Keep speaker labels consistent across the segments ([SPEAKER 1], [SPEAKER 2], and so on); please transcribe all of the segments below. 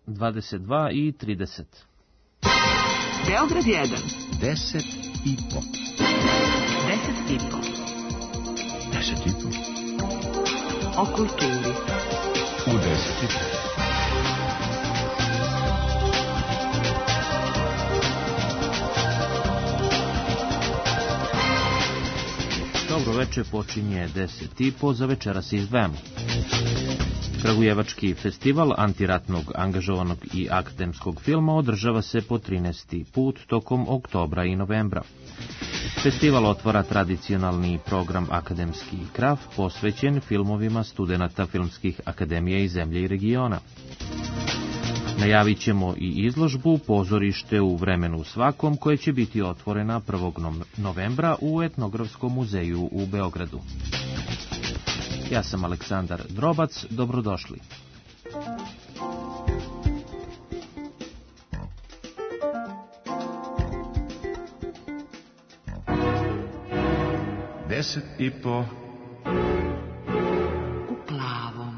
[SPEAKER 1] 22 i 30.
[SPEAKER 2] Beograd 1.
[SPEAKER 3] 10 i po.
[SPEAKER 2] 10 i po.
[SPEAKER 3] 10 i po.
[SPEAKER 2] O kulturi.
[SPEAKER 3] U 10 i po.
[SPEAKER 1] Dobro večer, počinje 10:30, za večera se izdvajamo. Kragujevački festival antiratnog, angažovanog i akademskog filma održava se po 13. put tokom oktobra i novembra. Festival otvara tradicionalni program Akademski kraf posvećen filmovima studenata filmskih akademija iz zemlje i regiona. Najavit ćemo i izložbu Pozorište u vremenu svakom, koje će biti otvorena 1. novembra u Etnografskom muzeju u Beogradu. Ja sam Aleksandar Drobac, dobrodošli.
[SPEAKER 3] Deset i po.
[SPEAKER 2] U plavom.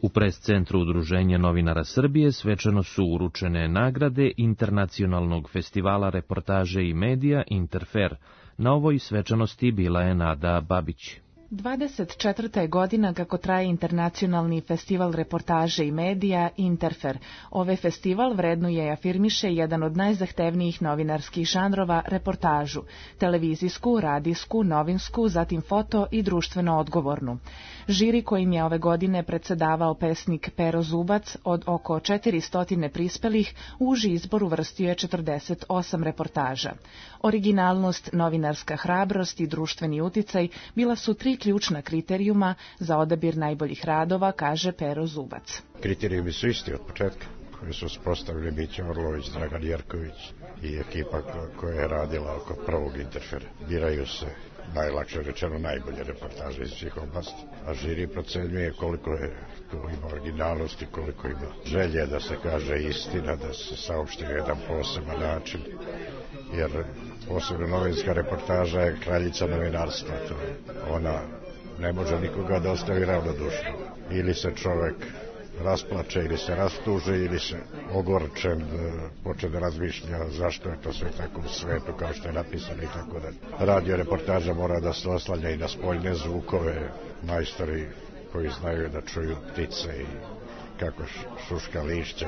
[SPEAKER 1] U pres-centru Udruženja novinara Srbije svečano su uručene nagrade Internacionalnog festivala reportaže i medija Interfer. Na ovoj svečanosti bila je Nada Babić.
[SPEAKER 4] 24. je godina kako traje Internacionalni festival reportaže i medija Interfer. Ovaj festival vrednuje i afirmiše jedan od najzahtevnijih novinarskih žanrova, reportažu, televizijsku, radijsku, novinsku, zatim foto i društveno odgovornu. Žiri kojim je ove godine predsedavao pesnik Pero Zubac od oko 400 prispelih u uži izbor uvrstio je 48 reportaža. Originalnost, novinarska hrabrost i društveni uticaj bila su 3 ključna kriterijuma za odabir najboljih radova, kaže Pero Zubac.
[SPEAKER 5] Kriterijumi su isti od početka, koji su uspostavili Mića Orlović, Dragan Jerković i ekipa koja je radila oko prvog Interfera. Biraju se, najlakše rečeno, najbolje reportaže iz svih oblasti, a žiri procenjuje koliko ima originalnosti, koliko ima želje da se kaže istina, da se saopšti jedan poseban način, jer posebno novinska reportaža je kraljica novinarstva. Ona ne može nikoga da ostavi ravnodušno. Ili se čovek rasplače, ili se rastuže, ili se ogorčen počne da razmišlja zašto je to sve tako u svetu kao što je napisano i tako da. Radio reportaža mora da se oslanja i na spoljne zvukove, majstori koji znaju da čuju ptice i kako šuška lišća,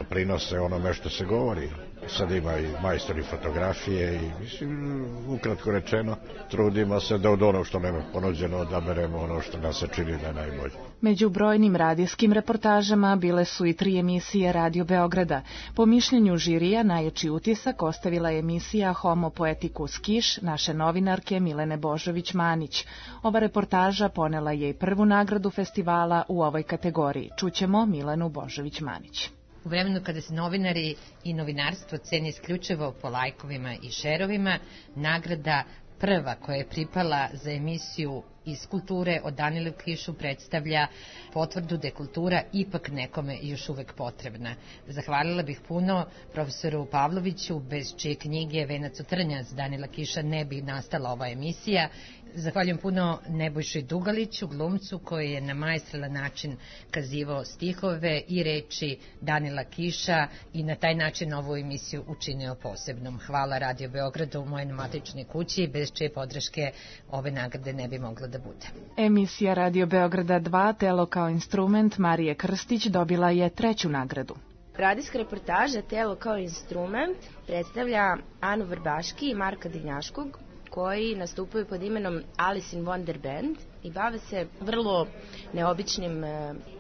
[SPEAKER 5] prinose onome što se govori. Sad ima i majstori fotografije i, mislim, ukratko rečeno, trudimo se da od onog što nam je ponuđeno odaberemo ono što nam se čini da je najbolje.
[SPEAKER 4] Među brojnim radijskim reportažama bile su i 3 emisije Radio Beograda. Po mišljenju žirija najjači utisak ostavila je emisija Homo Poeticus Kiš naše novinarke Milene Božović-Manić. Ova reportaža ponela je i prvu nagradu festivala u ovoj kategoriji. Čućemo Milenu Božović-Manić.
[SPEAKER 6] U vremenu kada se novinari i novinarstvo ceni isključivo po lajkovima i šerovima, nagrada prva koja je pripala za emisiju iz kulture od Danilu Kišu predstavlja potvrdu da je kultura ipak nekome još uvek potrebna. Zahvalila bih puno profesoru Pavloviću, bez čije knjige Venac od trnja s Danila Kiša ne bi nastala ova emisija. Zahvaljujem puno Nebojši Dugaliću, glumcu koji je na maestralan način kazivao stihove i reči Danila Kiša i na taj način ovu emisiju učinio posebnom. Hvala Radio Beogradu, mojoj matičnoj kući, bez čije podrške ove nagrade ne bi mogla da bude.
[SPEAKER 4] Emisija Radio Beograda 2, Telo kao instrument, Marije Krstić dobila je 3. nagradu.
[SPEAKER 7] Radijska reportaža Telo kao instrument predstavlja Anu Vrbaški i Marka Divnjaškog, koji nastupaju pod imenom Alice in Wonder Band i bave se vrlo neobičnim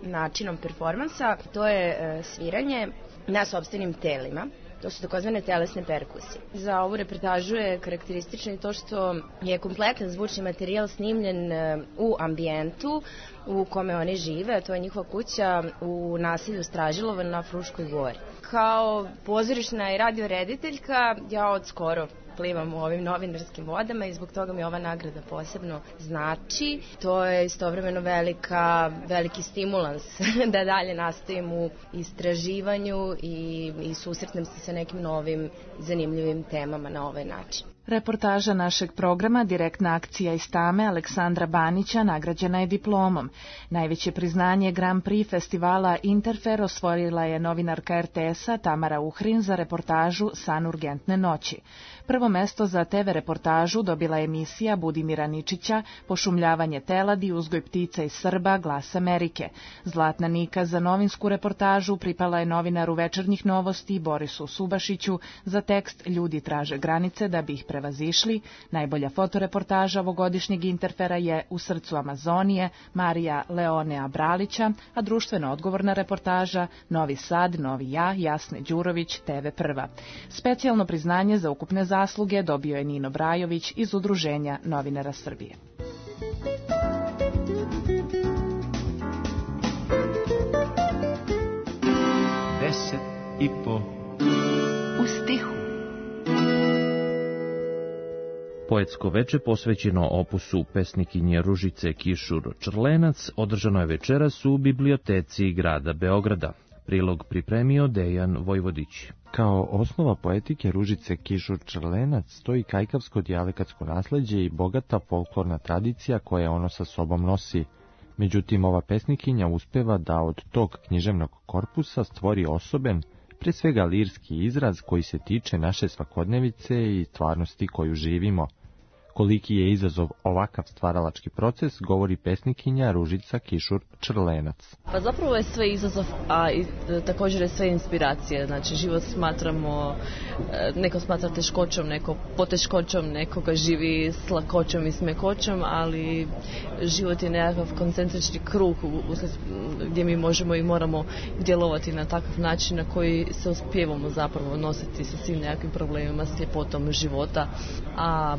[SPEAKER 7] načinom performansa. To je sviranje na sopstvenim telima. To su takozvane telesne perkusije. Za ovu reportažu je karakteristično i to što je kompletan zvučni materijal snimljen u ambijentu u kome oni žive, a to je njihova kuća u naselju Stražilovo na Fruškoj gori. Kao pozorišna i radiorediteljka ja od skoro plivam u ovim novinarskim vodama i zbog toga mi ova nagrada posebno znači. To je istovremeno veliki stimulans da dalje nastavim u istraživanju i susretnem se sa nekim novim zanimljivim temama na ovaj način.
[SPEAKER 4] Reportaža našeg programa Direktna akcija iz Tame Aleksandra Banića nagrađena je diplomom. Najveće priznanje Grand Prix festivala Interfer osvojila je novinarka RTS-a Tamara Uhrin za reportažu San urgentne noći. Prvo mesto za TV reportažu dobila je emisija Budimira Ničića Pošumljavanje teladi, uzgoj ptica i Srba, Glas Amerike. Zlatna Nika za novinsku reportažu pripala je novinaru Večernjih novosti Borisu Subašiću za tekst Ljudi traže granice da bi ih prevazišli. Najbolja fotoreportaža ovogodišnjeg Interfera je U srcu Amazonije Marija Leonea Bralića, a društveno odgovorna reportaža Novi Sad, Novi ja, Jasne Đurović, TV Prva. Specijalno priznanje za ukupne zasluge dobio je Nino Brajović iz Udruženja novinara Srbije.
[SPEAKER 3] Deset i po
[SPEAKER 2] U stihu.
[SPEAKER 1] Poetsko veče posvećeno opusu pesnikinje Ružice Kišur Črlenac održano je večeras u biblioteci grada Beograda. Prilog pripremio Dejan Vojvodić.
[SPEAKER 8] Kao osnova poetike Ružice Kišur Črlenac stoji kajkavsko dijalekatsko nasleđe i bogata folklorna tradicija koja ono sa sobom nosi. Međutim, ova pesnikinja uspeva da od tog književnog korpusa stvori osoben, pre svega lirski izraz koji se tiče naše svakodnevice i stvarnosti koju živimo. Koliki je izazov ovakav stvaralački proces, govori pesnikinja Ružica Kišur Črlenac.
[SPEAKER 9] Pa zapravo je sve izazov, a također je sve inspiracija. Znači, život smatramo, neko smatra teškoćom, neko poteškoćom, neko ga živi s lakoćom i smekoćom, ali život je nekakav koncentrični krug gdje mi možemo i moramo djelovati na takav način na koji se uspijevamo zapravo nositi sa svim nekakvim problemima, s ljepotom života. A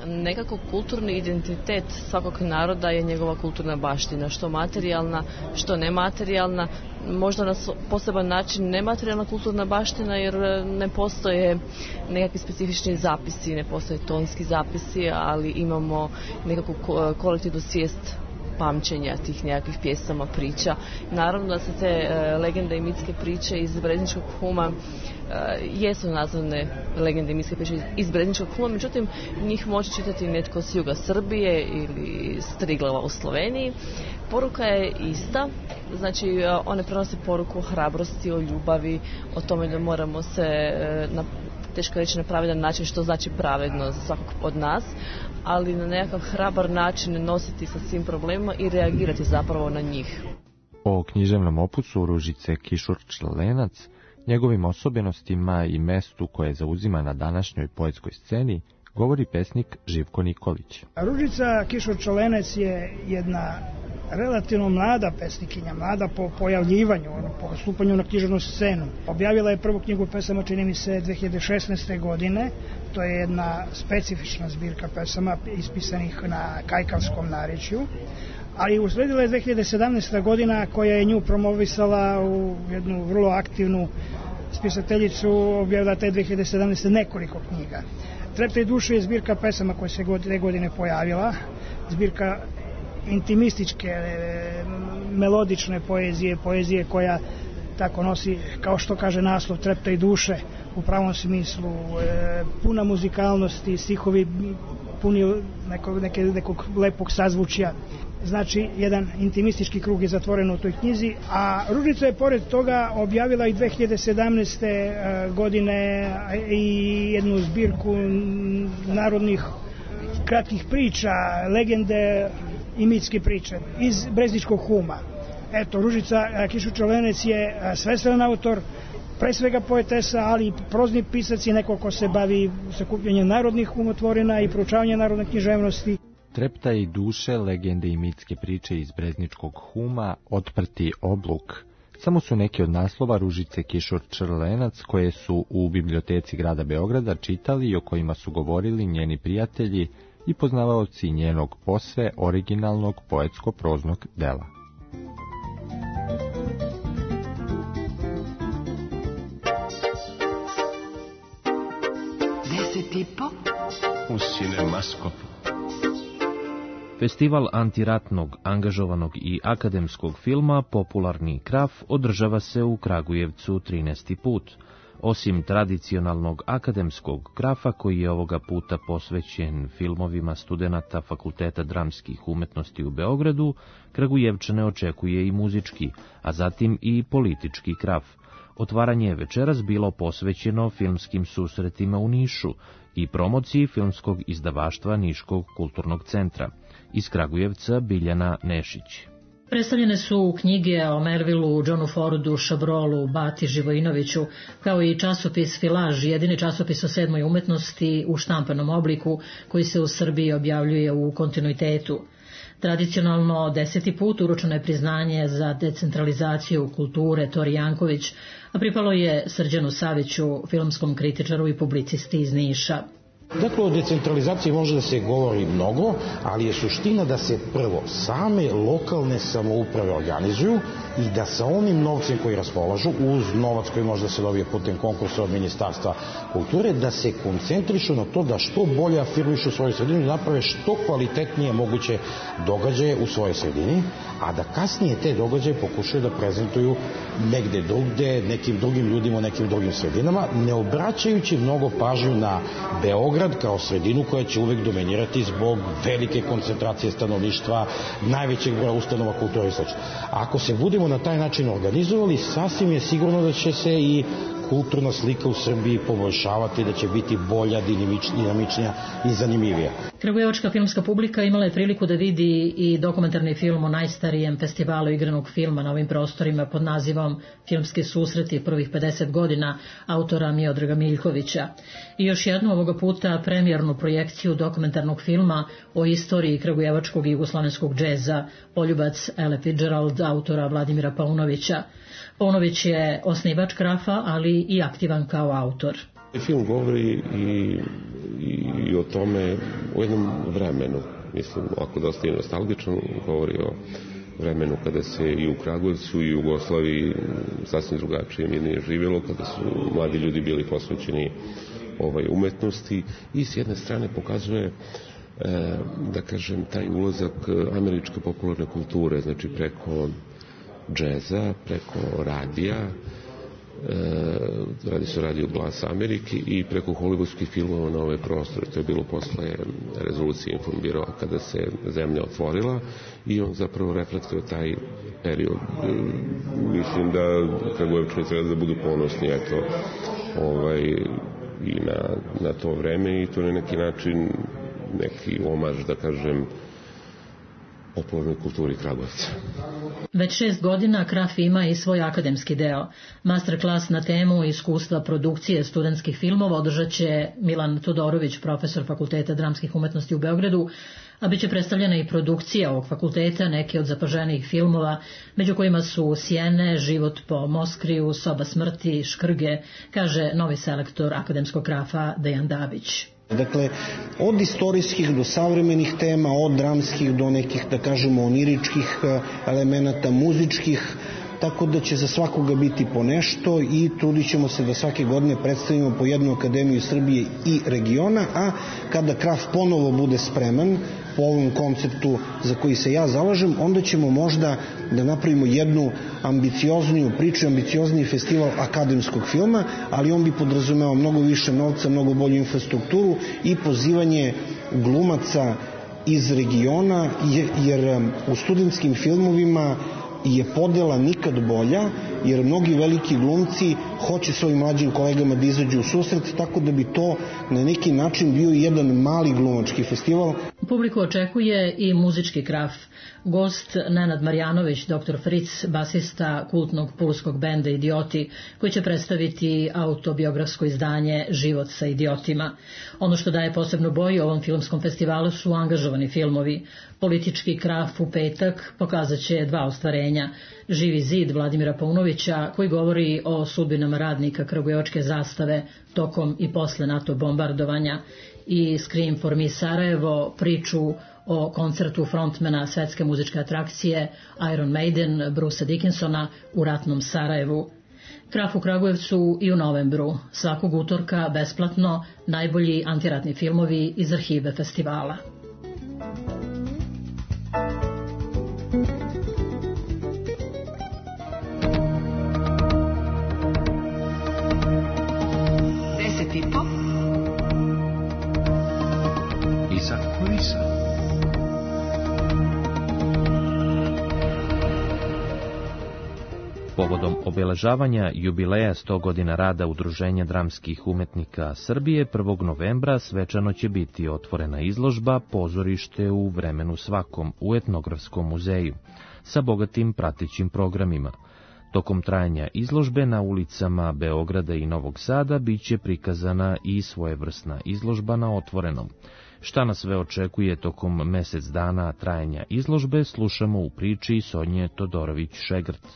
[SPEAKER 9] nekako kulturni identitet svakog naroda je njegova kulturna baština, što materijalna, što nematerijalna, možda na poseban način nematerijalna kulturna baština jer ne postoje nekakvi specifični zapisi, ne postoje tonski zapisi, ali imamo nekakvu kolektivnu svijest pamćenja tih nekakvih pjesama, priča. Naravno da se te legende i mitske priče iz Brezničkog huma jesu nazvane legende i mitske priče iz Brezničkog huma, međutim njih može čitati netko s juga Srbije ili s Triglava u Sloveniji. Poruka je ista, znači one prenose poruku o hrabrosti, o ljubavi, o tome da moramo se teško reći na pravedan način, što znači pravedno za svakog od nas, ali na nekakav hrabar način nositi sa svim problemima i reagirati zapravo na njih.
[SPEAKER 8] O književnom opusu Ružice Kišur Črlenac, njegovim osobenostima i mestu koje zauzima na današnjoj poetskoj sceni, govori pesnik Živko Nikolić.
[SPEAKER 10] Ružica Kišur Črlenac je jedna relativno mlada pesnikinja, mlada po pojavljivanju, po stupanju na književnu scenu. Objavila je prvu knjigu pesama, čini mi se, 2016. godine. To je jedna specifična zbirka pesama ispisanih na kajkavskom narječju. Ali usledila je 2017. godina koja je nju promovisala u jednu vrlo aktivnu spisateljicu, objavila te 2017. nekoliko knjiga. Treptaj duše je zbirka pesama koja se te godine pojavila, zbirka intimističke, melodične poezije koja tako nosi, kao što kaže naslov, Treptaj duše, u pravom smislu, puna muzikalnosti, stihovi puni nekog lepog sazvučja. Znači, jedan intimistički krug je zatvoren u toj knjizi, a Ružica je pored toga objavila i 2017. godine i jednu zbirku narodnih kratkih priča, legende i mitske priče iz Brezničkog huma. Eto, Ružica Kišur Črlenac je svestran autor, pre svega poetesa, ali i prozni pisac i neko ko se bavi sakupljanjem narodnih umotvorina i proučavanjem narodne književnosti.
[SPEAKER 8] Treptaj duše, legende i mitske priče iz Brezničkog huma, Otprti obluk. Samo su neki od naslova Ružice Kišur Črlenac koje su u biblioteci grada Beograda čitali i o kojima su govorili njeni prijatelji i poznavaoci njenog posve originalnog poetsko-proznog dela.
[SPEAKER 3] U Cinemaskopu.
[SPEAKER 1] Festival antiratnog, angažovanog i akademskog filma Popularni Kraf održava se u Kragujevcu 13. put. Osim tradicionalnog akademskog krafa, koji je ovoga puta posvećen filmovima studenata Fakulteta dramskih umetnosti u Beogradu, Kragujevčane očekuje i muzički, a zatim i politički kraf. Otvaranje je večeras bilo posvećeno filmskim susretima u Nišu i promociji filmskog izdavaštva Niškog kulturnog centra. Iz Kragujevca Biljana Nešić.
[SPEAKER 11] Predstavljene su knjige o Melvillu, Johnu Fordu, Šabrolu, Bati Živojinoviću, kao i časopis Filaž, jedini časopis o 7. umetnosti u štampanom obliku koji se u Srbiji objavljuje u kontinuitetu. Tradicionalno 10. put uručeno je priznanje za decentralizaciju kulture Tori Janković, a pripalo je Srđanu Saviću, filmskom kritičaru i publicisti iz Niša.
[SPEAKER 12] Dakle, o decentralizaciji može da se govori mnogo, ali je suština da se prvo same lokalne samouprave organizuju i da sa onim novcem koji raspolažu, uz novac koji može da se dobije putem konkursa od Ministarstva kulture, da se koncentrišu na to da što bolje afirmišu svoju sredinu i naprave što kvalitetnije moguće događaje u svojoj sredini, a da kasnije te događaje pokušaju da prezentuju negde drugde, nekim drugim ljudima u nekim drugim sredinama, ne obraćajući mnogo pažnju na Beograd kao sredinu koja će uvek dominirati zbog velike koncentracije stanovništva, najvećeg broja ustanova kulture i sl. Ako se budemo na taj način organizovali, sasvim je sigurno da će se i kulturna slika u Srbiji poboljšavati, da će biti bolja, dinamičnija i zanimljivija.
[SPEAKER 11] Kragujevačka filmska publika imala je priliku da vidi i dokumentarni film o najstarijem festivalu igranog filma na ovim prostorima pod nazivom Filmski susreti prvih 50 godina autora Miodraga Miljkovića. I još jednu ovoga puta premijernu projekciju dokumentarnog filma o istoriji kragujevačkog i jugoslovenskog džeza Poljubac Ele Fitzgerald autora Vladimira Paunovića. Paunović je osnivač krafa, ali i aktivan kao autor.
[SPEAKER 13] Film govori i o tome, o jednom vremenu, mislim, ako dosta je nostalgičan, govori o vremenu kada se i u Kragujevcu i u Jugoslaviji sasvim drugačije mirnije živjelo, kada su mladi ljudi bili posvećeni umetnosti i s jedne strane pokazuje da kažem taj ulazak američke popularne kulture, znači preko džeza, preko radija, radi se o radiju Glas Amerike i preko hollywoodskih filmova na ove prostore. To je bilo posle rezolucije informbirova kada se zemlja otvorila i on zapravo reflektuje taj period. Mislim da Kragujevčani treba da budu ponosni i na to vreme i to na neki način neki omaž, da kažem, popularnoj kulturi Kragujevca.
[SPEAKER 11] Već 6 godina Kraf ima i svoj akademski deo. Masterclass na temu iskustva produkcije studentskih filmova održat će Milan Todorović, profesor Fakulteta dramskih umetnosti u Beogradu, a bit će predstavljena i produkcija ovog fakulteta, neke od zapaženijih filmova, među kojima su Sjene, Život po Moskriju, Soba smrti, Škrge, kaže novi selektor akademskog krafa Dejan Dabić.
[SPEAKER 12] Dakle, od istorijskih do savremenih tema, od dramskih do nekih, da kažemo, oniričkih elemenata, muzičkih, tako da će za svakoga biti po nešto i trudit ćemo se da svake godine predstavimo po jednu akademiju Srbije i regiona, a kada Kraf ponovo bude spreman po ovom konceptu za koji se ja zalažem, onda ćemo možda da napravimo jednu ambiciozniju priču, ambiciozniji festival akademskog filma, ali on bi podrazumevao mnogo više novca, mnogo bolju infrastrukturu i pozivanje glumaca iz regiona, jer u studentskim filmovima je podela nikad bolja, jer mnogi veliki glumci hoće svojim mlađim kolegama da izađu u susret, tako da bi to na neki način bio jedan mali glumački festival.
[SPEAKER 11] Publiku očekuje i muzički kraf. Gost Nenad Marjanović, dr. Fritz, basista kultnog pulskog benda Idioti, koji će predstaviti autobiografsko izdanje Život sa idiotima. Ono što daje posebnu boju ovom filmskom festivalu su angažovani filmovi. Politički kraf u petak pokazat će 2 ostvarenja. Živi zid Vladimira Paunovića, koji govori o sudbinama radnika Kragujevačke zastave tokom i posle NATO bombardovanja, i Scream for Me Sarajevo, priču o koncertu frontmena svetske muzičke atrakcije Iron Maiden Brucea Dickinsona u ratnom Sarajevu. Kraf u Kragujevcu i u novembru, svakog utorka besplatno, najbolji antiratni filmovi iz arhive festivala.
[SPEAKER 1] Povodom obeležavanja jubileja 100 godina rada Udruženja dramskih umetnika Srbije 1. novembra svečano će biti otvorena izložba Pozorište u vremenu svakom u Etnografskom muzeju sa bogatim pratećim programima. Tokom trajanja izložbe na ulicama Beograda i Novog Sada biće prikazana i svojevrsna izložba na otvorenom. Šta nas sve očekuje tokom mesec dana trajanja izložbe, slušamo u priči Sonje Todorović-Šegrt.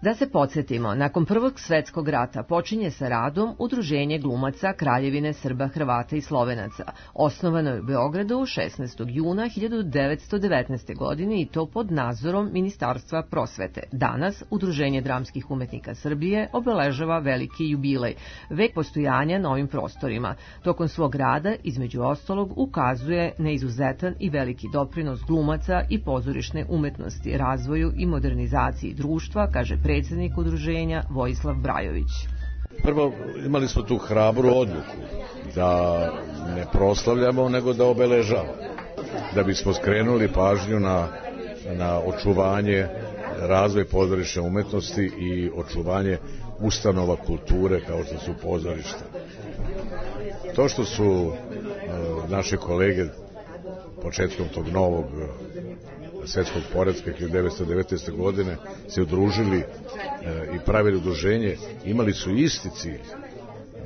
[SPEAKER 14] Da se podsjetimo, nakon Prvog svetskog rata počinje sa radom Udruženje glumaca Kraljevine Srba, Hrvata i Slovenaca. Osnovano je u Beogradu 16. juna 1919. godine i to pod nadzorom Ministarstva prosvete. Danas Udruženje dramskih umetnika Srbije obeležava veliki jubilej, vek postojanja na ovim prostorima. Tokom svog rada, između ostalog, ukazuje na izuzetan i veliki doprinos glumaca i pozorišne umetnosti, razvoju i modernizaciji društva, kaže predsjednik udruženja Vojislav Brajović.
[SPEAKER 15] Prvo, imali smo tu hrabru odluku da ne proslavljamo, nego da obeležavamo. Da bismo skrenuli pažnju na očuvanje, razvoj pozorišne umetnosti i očuvanje ustanova kulture kao što su pozorišta. To što su naše kolege početkom tog novog svetskog poretka 1919. godine se udružili i pravili udruženje, imali su isti cilj,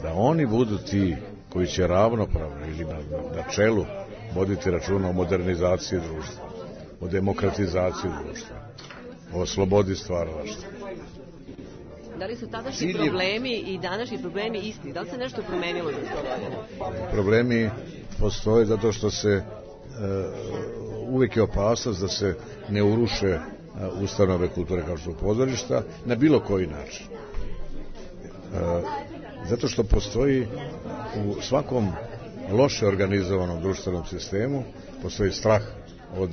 [SPEAKER 15] da oni budu ti koji će ravnopravno ili na čelu voditi računa o modernizaciji društva, o demokratizaciji društva, o slobodi stvaralaštva.
[SPEAKER 14] Da li su tadašnji problemi i današnji problemi isti? Da li se nešto promenilo za 100 godina?
[SPEAKER 15] Problemi postoje zato što se uvijek je opasnost da se ne uruše ustanove kulture kao što su pozorišta na bilo koji način. Zato što postoji u svakom loše organizovanom društvenom sistemu postoji strah od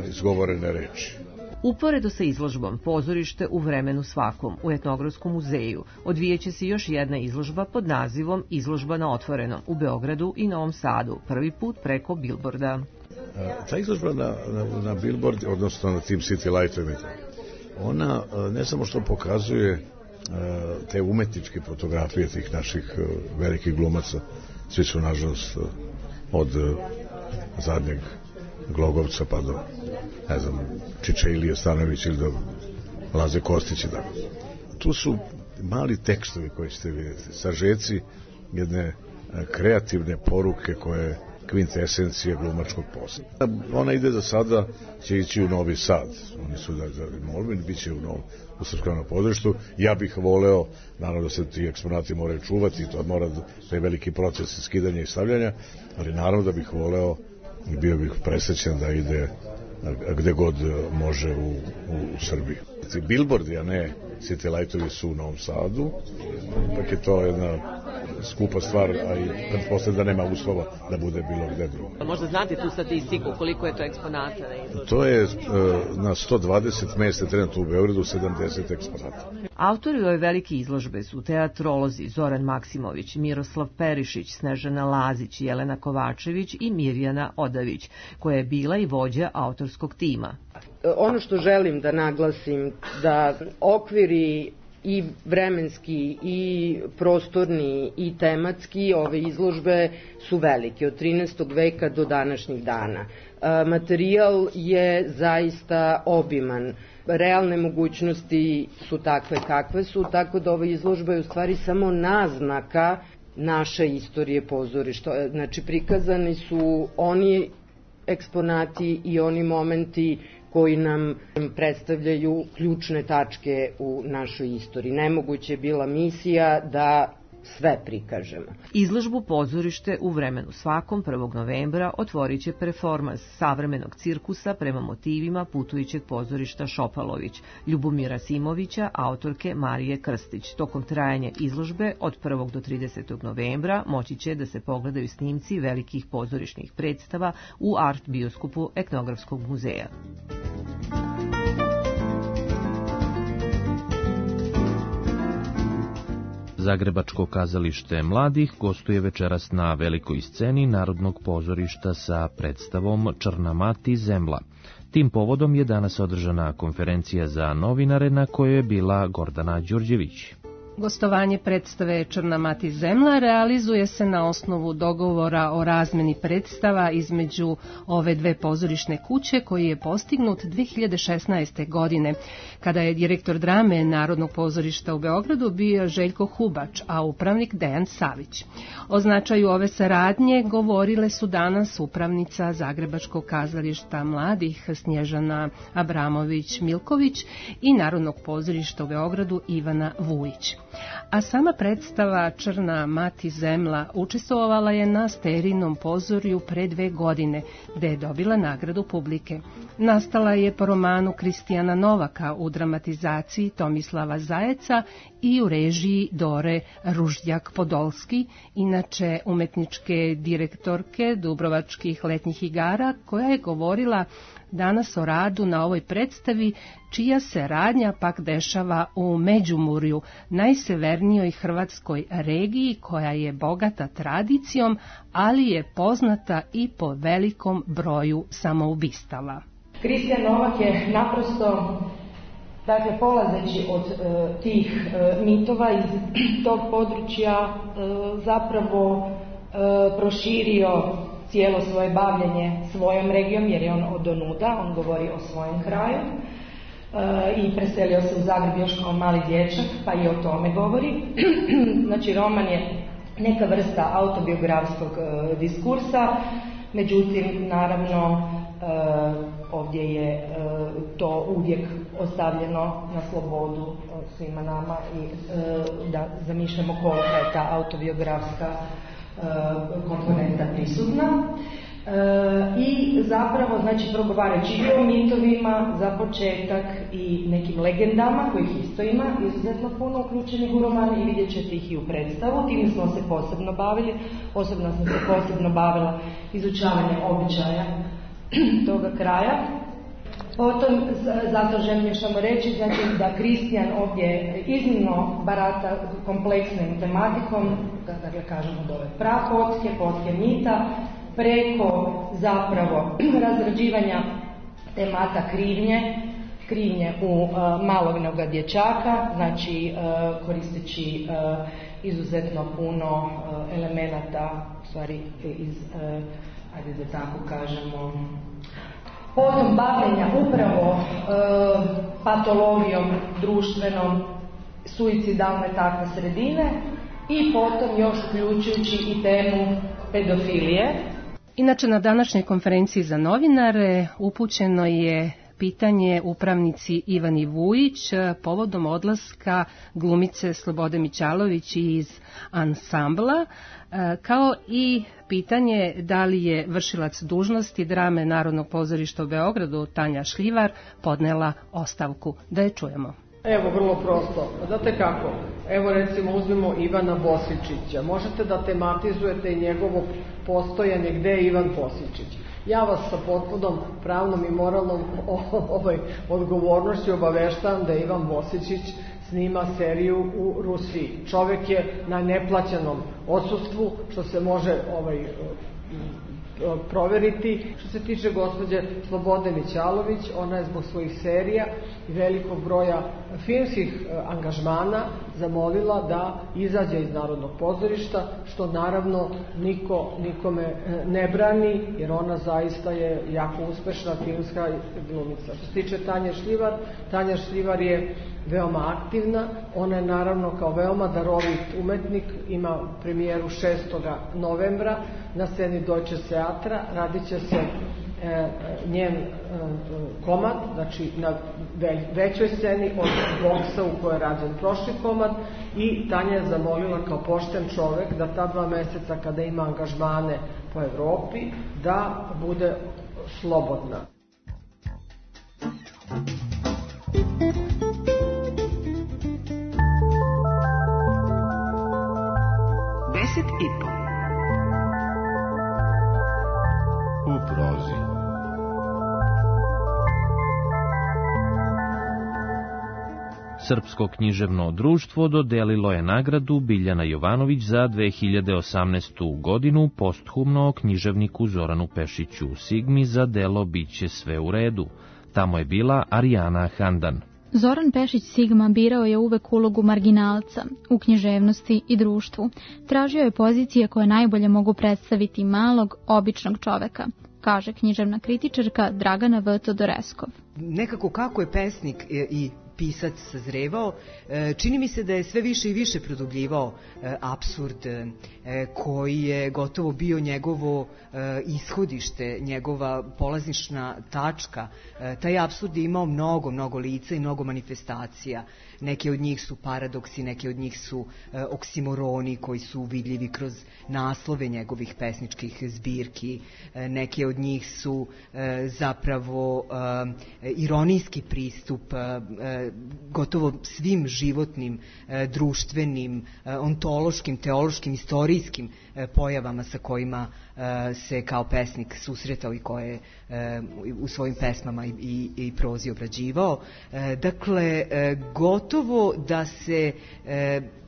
[SPEAKER 15] izgovorene reči.
[SPEAKER 14] Uporedo sa izložbom Pozorište u vremenu svakom u Etnografskom muzeju odvijeće se još jedna izložba pod nazivom Izložba na otvorenom u Beogradu i Novom Sadu, prvi put preko bilborda.
[SPEAKER 15] Ta izložba na billboard, odnosno na tim city lightovima, ona ne samo što pokazuje te umetničke fotografije tih naših velikih glumaca, svi su nažalost od zadnjeg Glogovca pa do, ne znam, Čiče Ilije Stanović ili do Laze Kostića. Tu su mali tekstovi koji ćete vidjeti, sažeci jedne kreativne poruke koje kvintesencije glumačkog posla. Ona ide za sada, će ići u Novi Sad. Oni su da molbeni, bit će u Srpskom pozorištu. Ja bih voleo, naravno da se ti eksponati moraju čuvati, to mora da je veliki proces skidanja i stavljanja, ali naravno da bih voleo i bio bih presrećen da ide gde god može u Srbiji. Billboardi, a ne city lightovi su u Novom Sadu, ipak je to jedna skupa stvar, a i pretpostavljam da nema uslova da bude bilo gde drugo.
[SPEAKER 14] Možda znate tu statistiku, koliko je to eksponata?
[SPEAKER 15] To je na 120 mesta trenutno u Beogradu 70 eksponata.
[SPEAKER 14] Autori ove velike izložbe su teatrolozi Zoran Maksimović, Miroslav Perišić, Snežana Lazić, Jelena Kovačević i Mirjana Odavić, koja je bila i vođa autorskog tima.
[SPEAKER 16] Ono što želim da naglasim, da okviri i vremenski i prostorni i tematski ove izložbe su velike, od 13. veka do današnjih dana. Materijal je zaista obiman. Realne mogućnosti su takve kakve su, tako da ova izložba je u stvari samo naznaka naše istorije pozorišta. Znači, prikazani su oni eksponati i oni momenti koji nam predstavljaju ključne tačke u našoj istoriji. Nemoguće je bila misija da sve prikažemo.
[SPEAKER 14] Izložbu Pozorište u vremenu svakom 1. novembra otvorit će performans savremenog cirkusa prema motivima putujućeg pozorišta Šopalović, Ljubomira Simovića, autorke Marije Krstić. Tokom trajanja izložbe od 1. do 30. novembra moći će da se pogledaju snimci velikih pozorišnih predstava u art bioskopu Etnografskog muzeja.
[SPEAKER 1] Zagrebačko kazalište mladih gostuje večeras na velikoj sceni Narodnog pozorišta sa predstavom Črna mati zemla. Tim povodom je danas održana konferencija za novinare na kojoj je bila Gordana Đurđević.
[SPEAKER 17] Gostovanje predstave Črna mati zemla realizuje se na osnovu dogovora o razmeni predstava između ove dve pozorišne kuće koji je postignut 2016. godine, kada je direktor drame Narodnog pozorišta u Beogradu bio Željko Hubač, a upravnik Dejan Savić. O značaju ove saradnje govorile su danas upravnica Zagrebačkog kazališta mladih Snježana Abramović-Milković i Narodnog pozorišta u Beogradu Ivana Vujić. A sama predstava Črna mati zemla učestvovala je na Sterinom pozorju pre 2 godine, gde je dobila nagradu publike. Nastala je po romanu Kristijana Novaka u dramatizaciji Tomislava Zajeca i u režiji Dore Ruždjak-Podolski, inače umetničke direktorke Dubrovačkih letnjih igara, koja je govorila danas o radu na ovoj predstavi, čija se radnja pak dešava u Međumurju, najsevernijoj hrvatskoj regiji koja je bogata tradicijom, ali je poznata i po velikom broju samoubistava.
[SPEAKER 18] Kristijan Novak je naprosto, dakle, polazeći od tih mitova iz tog područja zapravo proširio cijelo svoje bavljenje svojom regijom, jer je on odonuda, on govori o svojem kraju i preselio se u Zagreb još kao mali dječak, pa i o tome govori. Znači, roman je neka vrsta autobiografskog diskursa, međutim, naravno, ovdje je to uvijek ostavljeno na slobodu svima nama i da zamišljamo kolika je ta autobiografska komponenta prisutna. I zapravo, znači, progovarajući i o mitovima za početak i nekim legendama, kojih isto ima izuzetno puno uključenih u roman i vidjet ćete ih i u predstavu. Time smo se posebno bavili, osobno sam se posebno bavila izučavanjem običaja toga kraja. Potom, zato želim još samo reći, znači, da Kristijan ovdje iznimno barata kompleksnom tematikom, dakle kažemo od ove prapotke, potke mita, preko zapravo razrađivanja temata krivnje u maloga dječaka, znači koristeći izuzetno puno elemenata, u stvari iz, ajde da tako kažemo, potom bavljenja upravo patologijom društvenom, suicidalne takve sredine i potom još uključujući i temu pedofilije.
[SPEAKER 17] Inače, na današnjoj konferenciji za novinare upućeno je pitanje upravnici Ivani Vujić povodom odlaska glumice Slobode Mićalović iz ansambla, kao i pitanje da li je vršilac dužnosti drame Narodnog pozorišta u Beogradu Tanja Šljivar podnela ostavku. Da je čujemo.
[SPEAKER 19] Evo, vrlo prosto. Znate kako? Evo, recimo, uzmemo Ivana Bosičića. Možete da tematizujete i njegovo postojanje gde je Ivan Bosičić. Ja vas sa potpunom pravnom i moralnom odgovornošću obaveštavam da Ivan Bosičić snima seriju u Rusiji. Čovek je na neplaćenom odsustvu, što se može proveriti. Što se tiče gospođe Slobode Mićalović, ona je zbog svojih serija i velikog broja filmskih angažmana zamolila da izađe iz Narodnog pozorišta, što naravno nikome ne brani, jer ona zaista je jako uspešna filmska glumica. Što se tiče Tanje Šljivar, Tanja Šljivar je veoma aktivna, ona je naravno kao veoma darovit umetnik, ima premijeru 6. novembra na sceni Deutsche Theatra, radit će se njen komad, znači na većoj sceni od boksa u kojoj je rađen prošli komad, i Tanja je zamolila kao pošten čovek da ta 2 meseca kada ima angažmane po Evropi da bude slobodna.
[SPEAKER 3] U prozi.
[SPEAKER 1] Srpsko književno društvo dodelilo je nagradu Biljana Jovanović za 2018. godinu posthumno književniku Zoranu Pešiću Sigmi za delo Biće sve u redu. Tamo je bila Arijana Handan.
[SPEAKER 20] Zoran Pešić Sigma birao je uvek ulogu marginalca u književnosti i društvu. Tražio je pozicije koje najbolje mogu predstaviti malog, običnog čoveka, kaže književna kritičarka Dragana V. Todoreskov.
[SPEAKER 21] Nekako kako je pesnik i pisac sazrevao, čini mi se da je sve više i više produbljivao apsurd koji je gotovo bio njegovo ishodište, njegova polazišna tačka. Taj apsurd je imao mnogo lica i mnogo manifestacija. Neke od njih su paradoksi, neke od njih su oksimoroni koji su vidljivi kroz naslove njegovih pesničkih zbirki. Neke od njih su zapravo ironijski pristup gotovo svim životnim, društvenim, ontološkim, teološkim, istorijskim pojavama sa kojima se kao pesnik susretao i koje u svojim pesmama i prozi obrađivao. Dakle, gotovo da se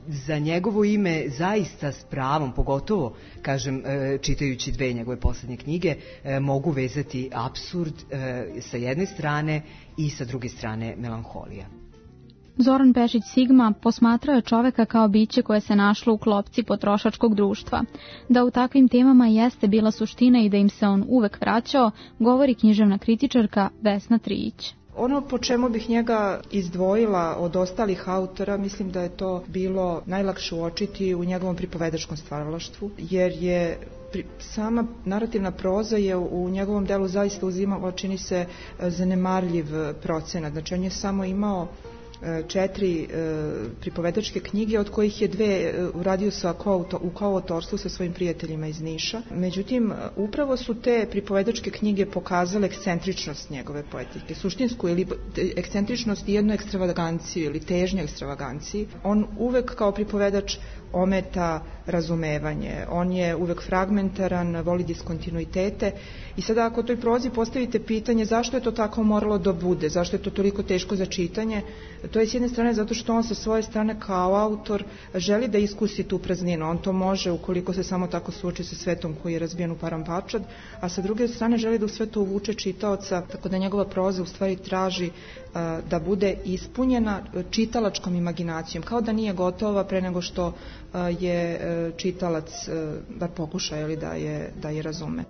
[SPEAKER 21] za njegovo ime zaista s pravom, pogotovo, kažem, čitajući dve njegove poslednje knjige, mogu vezati apsurd sa jedne strane i sa druge strane melanholija.
[SPEAKER 20] Zoran Pešić Sigma posmatrao je čoveka kao biće koje se našlo u klopci potrošačkog društva. Da u takvim temama jeste bila suština i da im se on uvek vraćao, govori književna kritičarka Vesna Trijić.
[SPEAKER 22] Ono po čemu bih njega izdvojila od ostalih autora, mislim da je to bilo najlakše uočiti u njegovom pripovedačkom stvaralaštvu, jer je sama narativna proza je u njegovom delu zaista uzimala, čini se, zanemarljiv procenat. Znači on je samo imao 4 pripovedačke knjige, od kojih je 2 uradio u koautorstvu sa svojim prijateljima iz Niša. Međutim, upravo su te pripovedačke knjige pokazale ekscentričnost njegove poetike, suštinsku ili ekscentričnost i jednu ekstravaganciju ili težnju ekstravaganciji. On uvek kao pripovedač ometa razumevanje, on je uvek fragmentaran, voli diskontinuitete i sada ako toj prozi postavite pitanje zašto je to tako moralo da bude, zašto je to toliko teško za čitanje, to je s jedne strane zato što on sa svoje strane kao autor želi da iskusi tu prazninu, on to može ukoliko se samo tako suoči sa svetom koji je razbijen u paramparčad, a sa druge strane želi da u sve to uvuče čitaoca, tako da njegova proza u stvari traži da bude ispunjena čitalačkom imaginacijom, kao da nije gotova pre nego što je čitalac da pokuša da je razume.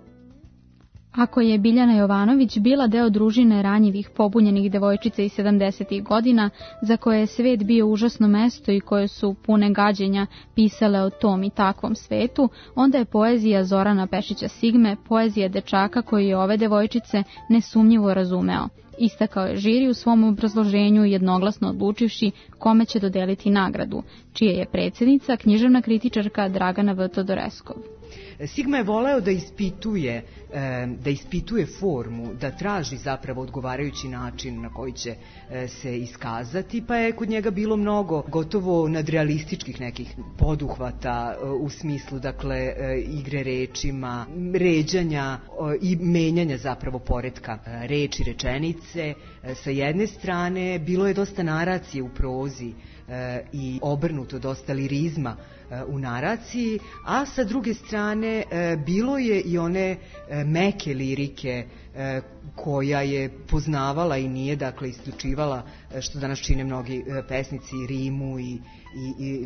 [SPEAKER 20] Ako je Biljana Jovanović bila deo družine ranjivih, pobunjenih devojčica iz 70. godina, za koje je svet bio užasno mesto i koje su pune gađenja pisale o tom i takvom svetu, onda je poezija Zorana Pešića Sigme poezija dečaka koji je ove devojčice nesumnjivo razumeo. Istakao je žiri u svom obrazloženju jednoglasno odlučivši kome će dodeliti nagradu, čije je predsjednica književna kritičarka Dragana V. Todoreskov.
[SPEAKER 21] Sigma je voleo da ispituje formu, da traži zapravo odgovarajući način na koji će se iskazati, pa je kod njega bilo mnogo gotovo nadrealističkih nekih poduhvata u smislu, dakle, igre rečima, ređanja i menjanja zapravo poretka reči, rečenice. Sa jedne strane bilo je dosta naracije u prozi i obrnuto, dosta lirizma u naraciji, a sa druge strane bilo je i one meke lirike koja je poznavala i nije, dakle, isključivala, što danas čine mnogi pesnici, rimu i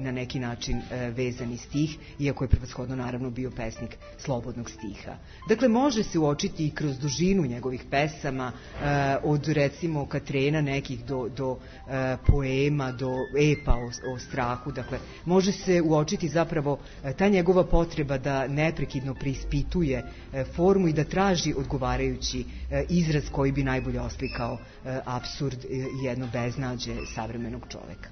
[SPEAKER 21] na neki način vezani stih, iako je prevashodno naravno bio pesnik slobodnog stiha. Dakle, može se uočiti i kroz dužinu njegovih pesama, od recimo Katrena nekih do poema, do epa o strahu. Dakle, može se uočiti zapravo ta njegova potreba da neprekidno preispituje formu i da traži odgovarajući izraz koji bi najbolje oslikao apsurd i jedno beznađe savremenog čoveka.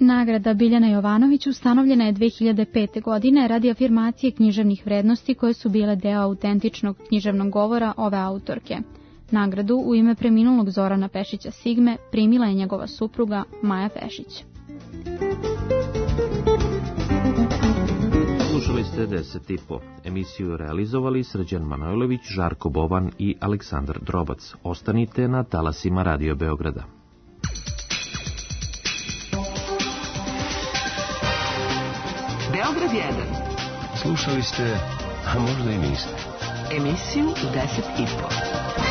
[SPEAKER 20] Nagrada Biljana Jovanović ustanovljena je 2005. godine radi afirmacije književnih vrednosti koje su bile deo autentičnog književnog govora ove autorke. Nagradu u ime preminulog Zorana Pešića Sigme primila je njegova supruga Maja Pešić.
[SPEAKER 1] Slušali ste 10,5. Emisiju realizovali Srđan Manojlović, Žarko Boban i Aleksandar Drobac. Ostanite na talasima Radio Beograda.
[SPEAKER 2] kroz 1.
[SPEAKER 5] Slušali ste, a možda i niste,
[SPEAKER 2] emisiju u 10 i po.